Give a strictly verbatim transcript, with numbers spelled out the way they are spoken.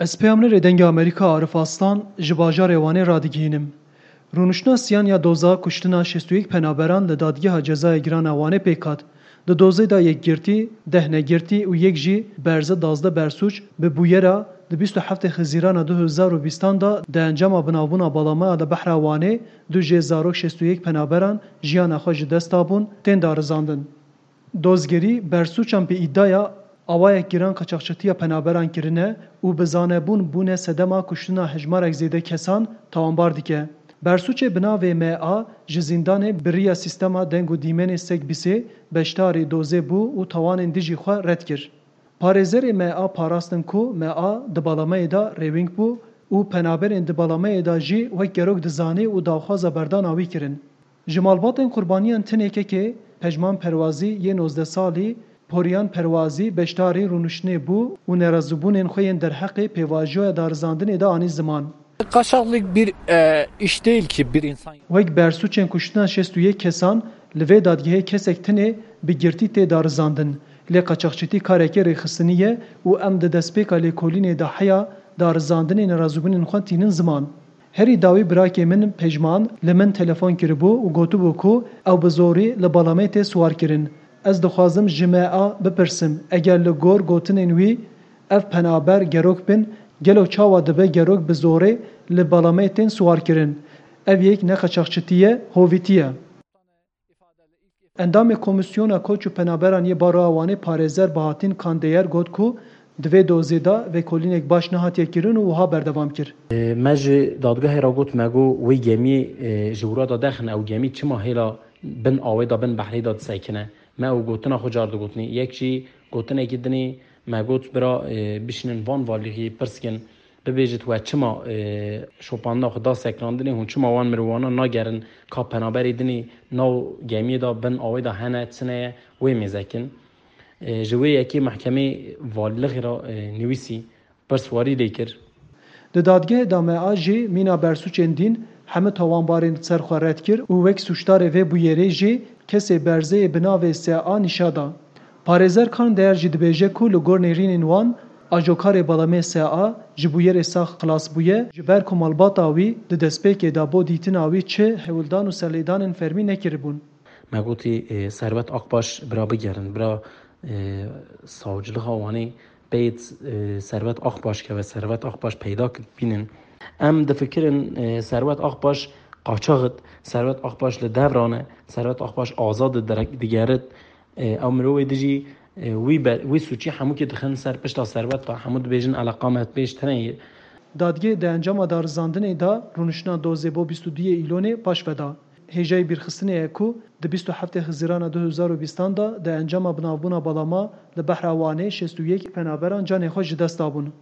Ez peyamnerê Dengê Amerîka Arif Aslan ji bajarê Wanê radigihînim. Rûniştina siyan ya doza kuştina şêst û yek penaberan li Dadgeha Cezaya Giran a Wanê pêk hat. Di dozê de yek girtî, deh negirtî û yek jî berze dazdeh bersûc bi bûyera di bîst û heftê Xizîrana du hezar û bîstan de di encama binavbûna balamaya li Behra Wanê du jê zarok şêst û yek penaberan jiyana xwe ji dest dabûn, tên darizandin. Dozgerî bersûçan bi îdaya awayek giran qaçaxçitiya penaberan kirine û bi zanebûn bûne sedema kuştina hejmarek zêde kesan tawanbar dike. Bersûçê bi navê M A ji zîndanê bi riya sîstema deng û dîmenê Segbîsê beşdarî dozê bû û tawanên dijî xwe red kir. Parêzerê M A parastin ku M A di balameyê de rêwîng bû û penaberên di balameyê de jî wek gerok dizanî û daxwaza berdana wî kirin. Ji malbatên qurbaniyan tinê kekê Pejman Perwazî yê nozdeh salî, Poriyan Perwazî beşdarî rûniştinê bû û nerazîbûnên xwe yên derheqê pêvajoya darizandinê de anî ziman. Kaçaklık bir e, iş değil ki bir insan. Wek bersûçên kuştina şêst û yek kesan, li vê dadgehê kesek tinê bi girtî tê darizandin. Lê qaçaxçitî karekê rêxistinî ye û em di destpêka lêkolînê de heya darizandinê nerazîbûnên xwe tînin ziman. Herî dawî birakê min Pejman li min telefon kiribû û gotibû ku ew bi zorî li balamê tê siwarkirin. Ez dixwazim ji M A bipirsim, eger li gor gotinên wî ev penaber gerok bin, gelo çawa dibe gerok bi zorê li balamê tên siwarkirin? Ev yek ne qaçaxçitî ye, hovîtî ye. Endamê Komîsyona Koç û Penaberan yê Baroya Wanê parêzer Bahattin Kandeyer got ku di vê dozê de vekolînek baş nehatiye kirin û wiha berdewam kir. Me ji dadgehê re got, me got wê gemiyê e, ji wira de derxin, ew gemî çima hêla bin awê de, bin behrê de disekine? Me ew gotina xwe car digotinê. Yek jî gotinekî dinê me got, bira e, bişînin van valîxî pirs kin. Bibêjit we çima e, şopandina xwe da sekinandinê, hûn çima wan mirovana nagerin ka penaberê dinê nav gemiyê de bin awê de hene, çi ne ye, wê mêze kin. E, ji wê yekê mehkemê valîlixê re e, nivîsî, pirswarî lê kir. Di dadgehê de M A jî mîna bersûçên dîn hemû tawanbarên li ser xwe red kir û wek sûcdarê vê bûyerê jî kesê berzeyê bi navê S A nîşa da. Parêzer Kandeyer jî dibêje ku li gor nêrînên wan, ajokarê balamê S A ji bûyerê sax xilas bûye, ji ber ku malbata wî di destpêkê de bo dîtina wî çi hewldan û serlêdanên fermî nekiribûn. Me gotî, e, Servet Akbaş bira bigerin, bira e, savcilixa Wanê peyt e, Servet Akbaş keve, Servet Akbaş peyda bînin. Em difikirin e, Servet Akbaş qaçaxit, Servet Akbaş li devran e, Servet Akbaş azad e, direk digerit. E, ew mirovê dijî e, wî be, wî sûçî hemûkê dixin ser pişta Servet ve, hemû dibêjin eleqa me pêş tine ye. Dadgehê di encama darizandinê de rûniştina dozê bo bîst û duyê Îlonê paş ve da. Hêjayî bîrxistinê ye ku di bîst û heftê Xizirana du hezar û bîstan de di encama binavbûna balama li Behra Wanê şêst û yek penaberan canê xwe ji dest dabûn.